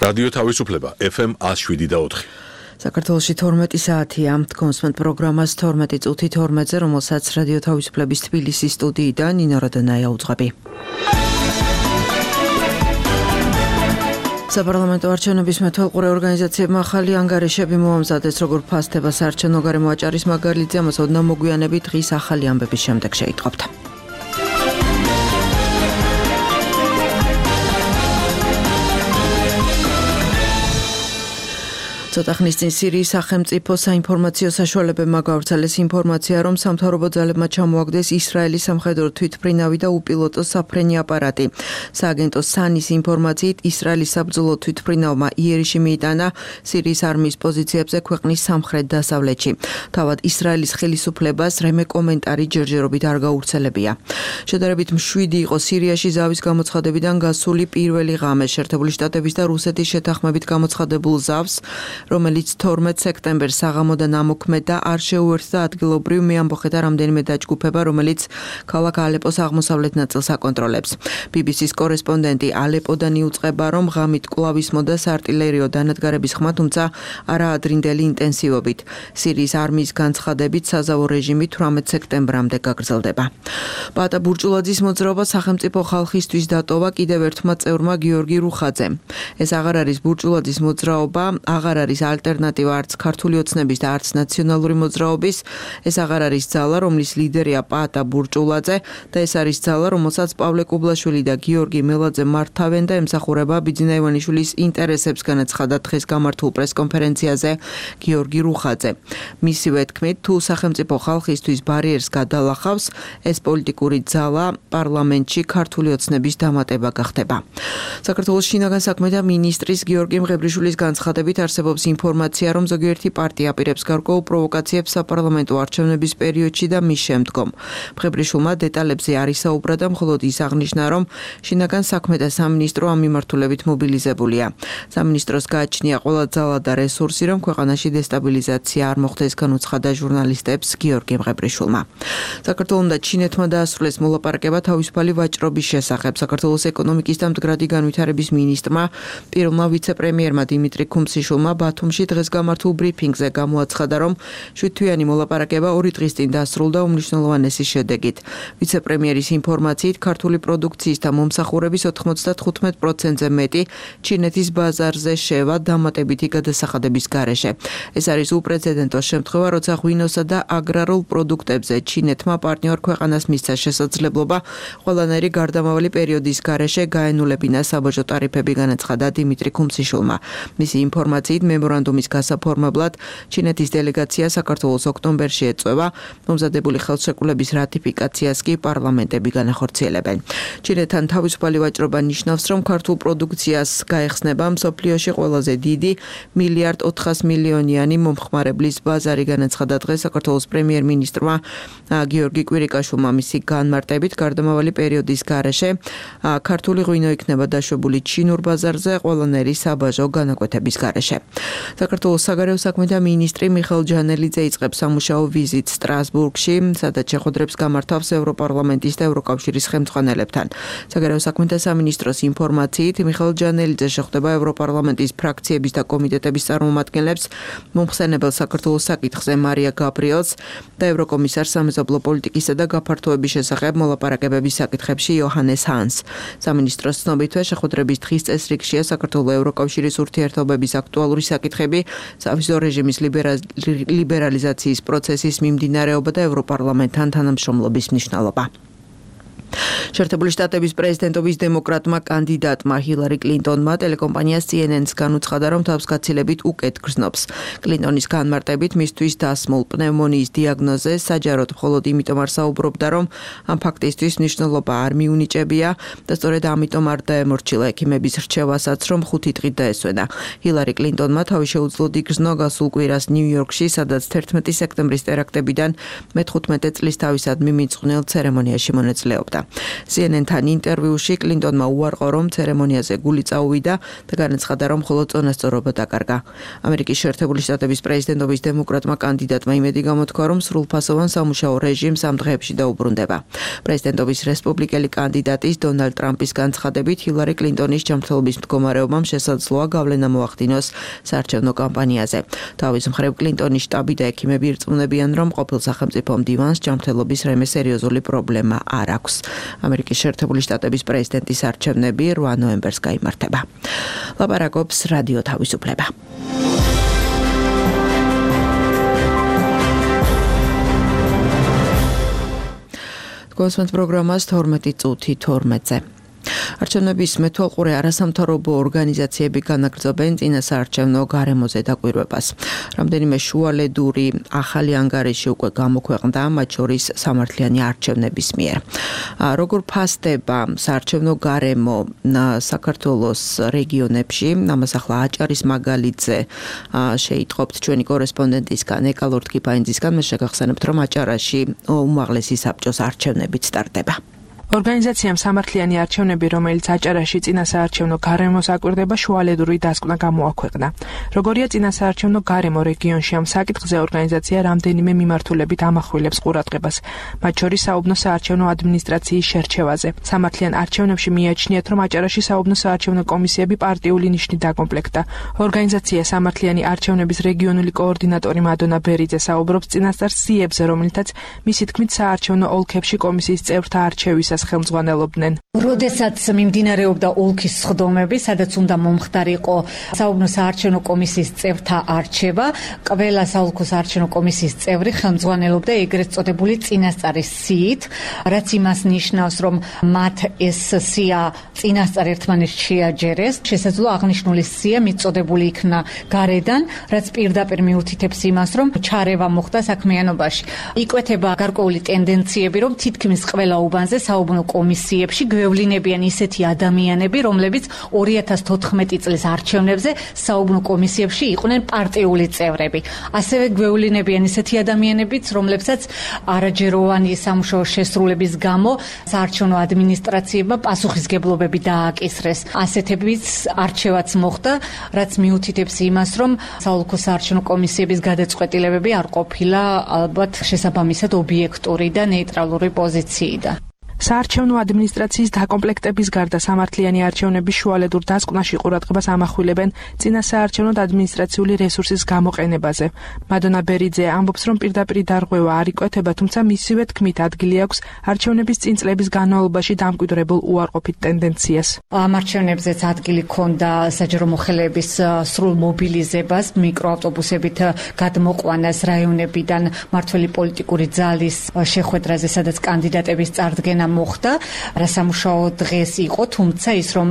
რადიო თავისუფლება FM 107.4. საქართველოში 12 საათია. კონსმენტ პროგრამას 12 წუთი 12-ზე, რომელსაც რადიო თავისუფლების თბილისის სტუდიიდან ნინო როდანაია უძღვები. საპარლამენტო არჩევნების მეთვალყურე ორგანიზაციებმა ახალი ანგარიშები მოამზადეს, როგორ ფასდება საარჩევნო გარემო აჭარის მაგალითზე, ამას ოდნავ მოგვიანებით დღის ახალი ამბების შემდეგ შეიტყობთ. ცოტა ხნის წინ სირიის სახელმწიფო საინფორმაციო საშუალებებმა გავრცელეს ინფორმაცია, რომ სამთავრობო ძალებმა ჩამოაგდეს ისრაელის სამხედრო თვითმფრინავი და უპილოტო საფრენი აპარატი. სააგენტო სანის ინფორმაციით, ისრაელის საბრძოლო თვითმფრინავმა იერიში მიიტანა სირიის არმიის პოზიციებზე ქვეყნის სამხრეთ-დასავლეთში. თავად ისრაელის ხელისუფლებას რემე კომენტარი ჯერჯერობით არ გაავრცელებია. შედარებით მშვიდი იყო სირიაში ზავის გამოცხადებიდან გასული პირველი ღამე შეერთებული შტატების და რუსეთის შეთანხმებით გამოცხადებულ ზავს, რომელიც 12 სექტემბერს საღამოდან ამოქმედა, არ შეუერთდა ადგილობრივ მეამბოხეთა რამდენიმე დაჯგუფება, რომელიც ქალაქ ალეპოს აღმოსავლეთ ნაწილს აკონტროლებს. BBC-ს კორესპონდენტი ალეპოდან იუწყება, რომ ღამით კვლავ ისმოდა საარტილერიო დანადგარების ხმა, თუმცა არა ადრინდელი ინტენსივობით. სირიის არმიის განცხადებით საზავო რეჟიმი 18 სექტემბრამდე გაგრძელდება. პატა ბურჭულაძის მოძრაობა სახელმწიფო ხალხისთვის დატოვა კიდევ ერთმა წევრმა გიორგი რუხაძემ. ეს აღარ არის ბურჭულაძის მოძრაობა, აღარ არის ალტერნატივა არც ქართული ოცნების და არც ნაციონალური მოძრაობის. ეს აღარ არის ძალა, რომლის ლიდერია პატა ბურჭულაძე და ეს არის ძალა, რომელსაც პავლე კუბლაშვილი და გიორგი მელაძე მართავენ და ემსახურება ბიძინა ივანიშვილის ინტერესებს, განაცხადა დღეს გამართულ პრესკონფერენციაზე გიორგი რუხაძე. მისივე თქმით, თუ სახელმწიფო ხალხისთვის ბარიერს გადალახავს, ეს პოლიტიკური ძალა პარლამენტში ქართული ოცნების დამატება გახდება. საქართველოს შინაგან საქმეთა მინისტრის გიორგი მღებრიშვილის განცხადებით არსებობს ინფორმაცია, რომ ზოგიერთი პარტია აპირებს გარკვეულ პროვოკაციებს საპარლამენტო არჩევნების პერიოდში და მის შემდგომ. მღებრიშვილმა დეტალებზე არ ისაუბრა და მხოლოდ ის აღნიშნა, რომ შინაგან საქმეთა სამინისტრო ამ მიმართულებით მობილიზებულია. სამინისტროს გააჩნია ყველა ძალა და რესურსი, რომ ქვეყანაში დესტაბილიზაცია არ მოხდეს, განუცხადა ჟურნალისტებს გიორგი მღებრიშვილმა. საქართველოს და ჩინეთმა დაასრულეს მოლაპარაკება თავისუფალი ვაჭრობის შესახებ. საქართველოს ეკონომიკის და მდგრადი განვითარების მინისტრმა, პირველმა ვიცე-პრემიერმა დიმიტრი ქუმსიშვილმა ბათუმში დღეს გამართულ ბრიფინგზე გამოაცხადა, რომ 7-თვიანი მოლაპარაკება 2 დღის წინ დასრულდა უმნიშვნელოვანესი შედეგით. ვიცე-პრემიერის ინფორმაციით, ქართული პროდუქციის და მომსახურების 95%-ზე მეტი ჩინეთის ბაზარზე შევა დამატებითი გადასახადების გარეშე. ეს არის უპრეცედენტო შემთხვევა, როცა ღვინოსა და აგრარულ პროდუქტებზე ჩინეთმა პარტნიორ ქვეყანას მისცა შესაძლებლობა ყველანაირი გარდამავალი პერიოდის გარეშე გაენულებინა საბაჟო ტარიფები, განაცხადა დიმიტრი ქუმსიშვილმა. მისი ინფორმაციით, მემორანდუმის გასაფორმებლად ჩინეთის დელეგაცია საქართველოს ოქტომბერში ეწევა, მომზადებული ხელშეკრულების რატიფიკაციას კი პარლამენტები განახორციელებენ. ჩინეთთან თავისუფალი ვაჭრობა ნიშნავს, რომ ქართულ პროდუქციას გაეხსნება მსოფლიოში ყველაზე დიდი 1,4 მილიარდიანი მომხმარებლის ბაზარი, განაცხადა დღეს საქართველოს პრემიერ-მინისტრმა გიორგი კვირიკაშვილმა. მისი განმარტებით, გარდამავალი პერიოდის გარეშე ქართული ღვინო იქნება დაშვებული ჩინურ ბაზარზე ყველანაირი საბაჟო განაკვეთების გარეშე. საქართველოს საგარეო საქმეთა მინისტრი მიხეილ ჯანელიძე იწყებს სამუშაო ვიზიტს სტრასბურგში, სადაც შეხვედრებს გამართავს ევროპარლამენტის და ევროკავშირის ხელმძღვანელებთან. საგარეო საქმეთა სამინისტროს ინფორმაციით, მიხეილ ჯანელიძე შეხვდება ევროპარლამენტის ფრაქციების და კომიტეტების წარმომადგენლებს, მომხსენებელ საქართველოს საკითხზე მარია გაბრიელს და ევროკომისარს სამეზობლო პოლიტიკისა და გაფართოების შესახებ მოლაპარაკებების საკითხებში იოჰანეს ჰანს. სამინისტროს ცნობითვე შეხვედრების დღის წესრიგშია საქართველოს ევროკავშირის ურთიერთობების აქტუალური საკითხები, სავიზო რეჟიმის ლიბერალიზაციის პროცესის მიმდინარეობა და ევროპარლამენტთან თანამშრომლობის მნიშვნელობა. შეერთებული შტატების პრეზიდენტობის დემოკრატმა კანდიდატმა ჰილარი კლინტონმა ტელეკომპანია CNN-ს განუცხადა, რომ თავს გაცილებით უკეთ გრძნობს. კლინტონის განმარტებით, მისთვის დასმულ პნევმონიის დიაგნოზე საჯაროდ მხოლოდ იმიტომ არ საუბრობდა, რომ ამ ფაქტისთვის მნიშვნელობა არ მიუნიჭებია და სწორედ ამიტომ არ დაემორჩილა ექიმების რჩევასაც, რომ 5 დღით დაესვენა. ჰილარი კლინტონმა თავი შეუძლო იგრძნო გასულ კვირას ნიუ-იორკში, სადაც 11 სექტემბრის ტერაქტებიდან მე-15 წლის თავისადმი მიძღვნილ ცერემონიაში მონაწილეობდა. CNN-თან ინტერვიუში კლინტონმა უარყო, რომ ცერემონიაზე გული წაუვიდა და განაცხადა, რომ მხოლოდ წონასწორობა დაკარგა. ამერიკის შეერთებული შტატების პრეზიდენტობის დემოკრატმა კანდიდატმა იმედი გამოთქვა, რომ სრულფასოვან სამუშაო რეჟიმს ამ დღეებში დაუბრუნდება. პრეზიდენტობის რესპუბლიკელი კანდიდატის დონალდ ტრამპის განცხადებით, ჰილარი კლინტონის ჯანმრთელობის მდგომარეობამ შესაძლოა გავლენა მოახდინოს საარჩევნო კამპანიაზე. თავის მხრივ კლინტონის შტაბი და ექიმები ირწმუნებიან, რომ ყოფილ სახელმწიფო მდივანს ჯანმრთელობის რემე სერიოზული პრობლემა არ აქვს. ამერიკის შეერთებული შტატების პრეზიდენტის არჩევნები 8 ნოემბერს გაიმართება. ლაპარაკობს რადიო თავისუფლება. კონსმენთ პროგრამას 12 წუთი 12-ზე. არჩევნების მეთვალყურე არასამთავრობო ორგანიზაციები განაგრძობენ წინასაარჩევნო გარემოზე დაკვირვებას. რამდენიმე შუალედური ახალი ანგარიში უკვე გამოქვეყნდა, მათ შორის სამართლიანი არჩევნების მიერ. როგორ ფასდება საარჩევნო გარემო საქართველოს რეგიონებში, ამას ახლა აჭარის მაგალითზე შეიტყობთ ჩვენი კორესპონდენტისგან, ეკა ლორთქიფაინძისგან, მე შეგახსენებთ, რომ აჭარაში უმაღლესი საბჭოს არჩევნებით სტარტდება. ორგანიზაციამ სამართლიანი არჩევნები, რომელიც აჭარაში წინასაარჩევნო გარემოს აკვირდება, შუალედური დასკვნა გამოაქვეყნა. როგორია წინასაარჩევნო გარემო რეგიონში, ამ საკითხზე ორგანიზაცია რამდენიმე მიმართულებით ამახვილებს ყურადღებას, მათ შორის საუბნო საარჩევნო ადმინისტრაციის შერჩევაზე. სამართლიან არჩევნებში მიაჩნიათ, რომ აჭარაში საუბნო საარჩევნო კომისიები პარტიული ნიშნით დაკომპლექტდა. ორგანიზაცია სამართლიანი არჩევნების რეგიონული კოორდინატორი მადონა ბერიძე საუბრობს წინასწარ სიებზე, რომელთაც მისი თქმით საარჩევნო ოლქებში კომისიის წევრთა არჩევისას ხელმძღვანელობდნენ. როდესაც მიმდინარეობდა ოლქის სხდომები, სადაც უნდა მომხდარიყო საუბნო საარჩევნო კომისიის წევრთა არჩევა, ყველა საოლქო საარჩევნო კომისიის წევრი ხელმძღვანელობდა ეგრეთ წოდებული წინასწარის სიით, რაც იმას ნიშნავს, რომ მათ ეს სია წინასწარ ერთმანეთს შეაჯერეს. შესაძლოა აღნიშნული სია მიწოდებული იქნა გარედან, რაც პირდაპირ მიუთითებს იმას, რომ ჩარევა მოხდა საქმიანობაში. იკვეთება გარკვეული ტენდენციები, რომ თითქმის ყველა უბანზე საუბნო კომისიებში გვევლინებიან ისეთი ადამიანები, რომლებიც 2014 წლის არჩევნებზე საუბნო კომისიებში იყვნენ პარტიული წევრები. ასევე გვევლინებიან ისეთი ადამიანებიც, რომლებსაც არაჯეროვანი სამუშაო შესრულების გამო საარჩევნო ადმინისტრაციებმა პასუხისგებლობები დააკისრეს. ასეთებიც არჩევაც მოხდა, რაც მიუთითებს იმას, რომ საოლქო საარჩევნო კომისიების გადაწყვეტილებები არ ყოფილა ალბათ შესაბამისად ობიექტური და ნეიტრალური პოზიციიდან. საარჩევნო ადმინისტრაციის დაკომპლექტების გარდა სამართლიანი არჩევნების შუალედურ დასკვნაში ყურადღებას ამახვილებენ წინასაარჩევნო ადმინისტრაციული რესურსის გამოყენებაზე. მადონა ბერიძე ამბობს, რომ პირდაპირ დარღვევა არ იკვეთება, თუმცა მისივე თქმით ადგილი აქვს არჩევნების წინ წლების განმავლობაში დამკვიდრებულ უარყოფით ტენდენციას. ამ არჩევნებზეც ადგილი ჰქონდა საჯარო მოხელეების სრულ მობილიზებას, მიკროავტობუსებით გადმოყვანას რაიონებიდან მმართველი პოლიტიკური ძალის შეხვედრაზე, სადაც კანდიდატების წარდგენა მოხდა, რასამუშაო დღეს იყო, თუმცა ის რომ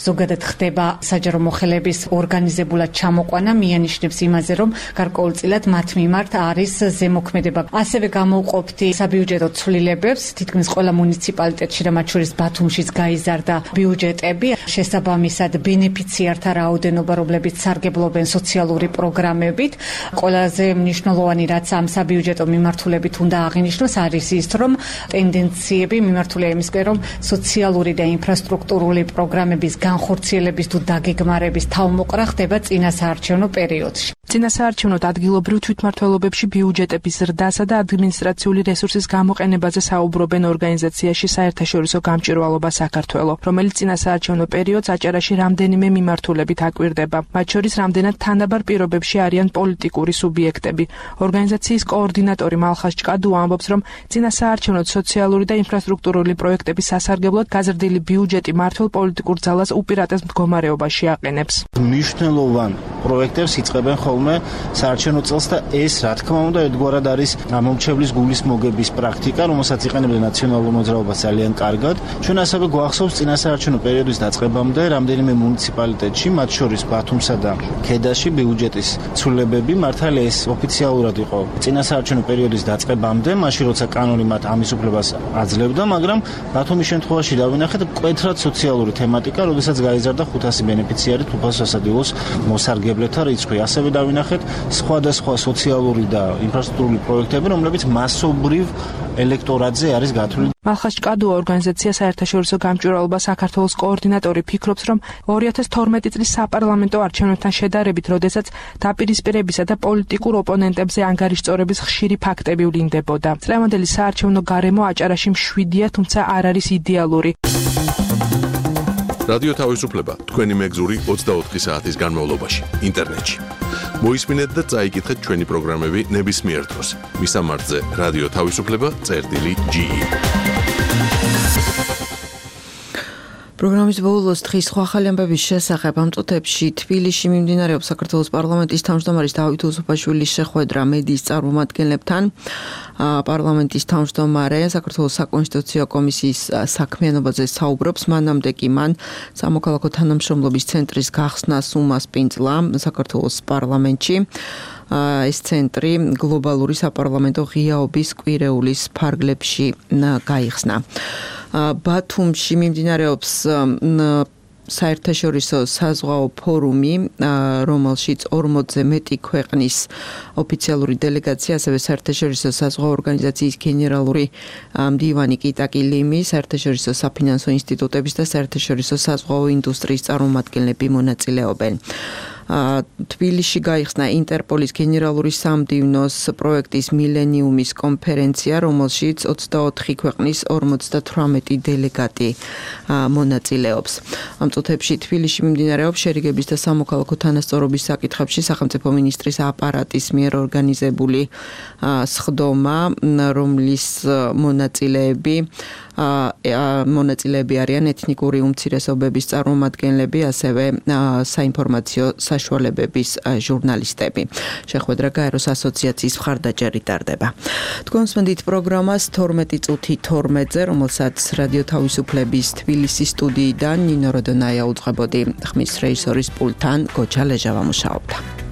ზოგადად ხდება საჯარო მოხელეების ორგანიზებულად ჩამოყვანა, მიანიშნებს იმაზე, რომ გარკვეულწილად მათ მიმართ არის ზემოქმედება. ასევე გამოვყოფდი საბიუჯეტო ცვლილებებს, თითქმის ყველა მუნიციპალიტეტში და მათ შორის ბათუმშიც გაიზარდა ბიუჯეტები, შესაბამისად ბენეფიციართა რაოდენობა, რომლებიც სარგებლობენ სოციალური პროგრამებით. ყველაზე მნიშვნელოვანი, რაც ამ საბიუჯეტო მიმართულებით უნდა აღინიშნოს, არის ის, რომ ტენდენციები მიმართულია იმისკენ, რომ სოციალური და ინფრასტრუქტურული პროგრამების განხორციელების თუ დაგეგმარების თავმოყრა ხდება წინასაარჩევნო პერიოდში. წინასაარჩევნო ადგილობრივ თვითმმართველობებში ბიუჯეტების ზრდასა და ადმინისტრაციული რესურსის გამოყენებაზე საუბრობენ ორგანიზაციაში საერთაშორისო გამჭვირვალობა საქართველო, რომელიც წინასაარჩევნო პერიოდს აჭარაში რამდენიმე მიმართულებით აკვირდება. მათ შორის რამდენად თანაბარ პირობებში არიან პოლიტიკური სუბიექტები. ორგანიზაციის კოორდინატორი მალხას ჭკადუ ამბობს, რომ წინასაარჩევნო სოციალური და ინფრასტრუქტურული პროექტების სასარგებლოდ გაზრდილი ბიუჯეტი მმართველ პოლიტიკურ ძალას უპირატეს მდგომარეობაში აყენებს. მნიშვნელოვან პროექტებს იწყებენ ხოლმე საარჩევნო წელს და ეს, რა თქმა უნდა, ერთგვარად არის მომრჩევლის გულის მოგების პრაქტიკა, რომელსაც იყენებდა ნაციონალურ მოძრაობას ძალიან კარგად. ჩვენ ასევე გვახსოვს წინასაარჩევნო პერიოდის დაწყებამდე რამდენიმე მუნიციპალიტეტში, მათ შორის ბათუმსა და ქედაში ბიუჯეტის ცვლილებები, მართალია ეს ოფიციალურად იყო წინასაარჩევნო პერიოდის დაწყებამდე, მაშინ როცა კანონი მათ ამის უფლებას აძლევდა, მაგრამ ბათუმის შემთხვევაში დავინახეთ მკვეთრად სოციალური თემატიკა, როდესაც გაიზარდა 500 ბენეფიციარით უფასო სასადილოს მოსარგებლეთა რიცხვი. ასევე დავინახეთ სხვადასხვა სოციალური და ინფრასტრუქტურული პროექტები, რომლებიც მასობრივ ელექტორატზე არის გათვლილი. მალხაზ ჭკადუა ორგანიზაცია საერთაშორისო გამჭვირვალობა საქართველოს კოორდინატორი ფიქრობს, რომ 2012 წლის საპარლამენტო არჩევნებთან შედარებით, როდესაც დაპირისპირებისა და პოლიტიკურ ოპონენტებზე ანგარიშწორების ხშირი ფაქტები ვლინდებოდა. წლევანდელი საარჩევნო გარემო აჭარაში მშვიდია, თუმცა არ არის იდეალური. რადიო თავისუფლება თქვენი მეგზური 24 საათის განმავლობაში ინტერნეტში. მოისმინეთ და წაიკითხეთ ჩვენი პროგრამები ნებისმიერ დროს. მისამართზე რადიო თავისუფლება.ge. პროგრამის ბოლოს დღის სხვა ახალი ამბების შესახებ ამ წუთებში თბილისში მიმდინარეობს საქართველოს პარლამენტის თავმჯდომარის დავით უსუფაშვილის შეხვედრა მედიის წარმომადგენლებთან. პარლამენტის თავმჯდომარე საქართველოს საკონსტიტუციო კომისიის საქმიანობაზე საუბრობს, მანამდე კი მან სამოქალაქო თანამშრომლობის ცენტრის გახსნას უმასპინძლა საქართველოს პარლამენტში. ეს ცენტრი გლობალური საპარლამენტო ღიაობის კვირეულის ფარგლებში გაიხსნა. ბათუმში მიმდინარეობს საერთაშორისო საზღვაო ფორუმი, რომელშიც 40-ზე მეტი ქვეყნის ოფიციალური დელეგაცია, ასევე საერთაშორისო საზღვაო ორგანიზაციის გენერალური მდივანი კიტაკი ლიმი, საერთაშორისო საფინანსო ინსტიტუტების და საერთაშორისო საზღვაო ინდუსტრიის წარმომადგენლები მონაწილეობენ. თბილისში გაიხსნა ინტერპოლის გენერალური სამდივნოს პროექტის მილენიუმის კონფერენცია, რომელშიც 24 ქვეყნის 58 დელეგატი მონაწილეობს. ამ წუთებში თბილისში მიმდინარეობს შერიგების და სამოქალაქო თანასწორობის საკითხებში სახელმწიფო მინისტრის აპარატის მიერ ორგანიზებული სხდომა, რომლის მონაწილეები არიან ეთნიკური უმცირესობების წარმომადგენლები, ასევე საინფორმაციო საშუალებების ჟურნალისტები. შეხვედრა გაეროს ასოციაციის მხარდაჭერით ტარდება. თქვენ მსმენთ პროგრამას 12 წუთი 12-ზე, რომელსაც რადიო თავისუფლების თბილისის სტუდიიდან ნინო როდონაია უძღვებოდი, ხმის რეჟისორის პულტთან გოჩა ლეჟავა მუშაობდა.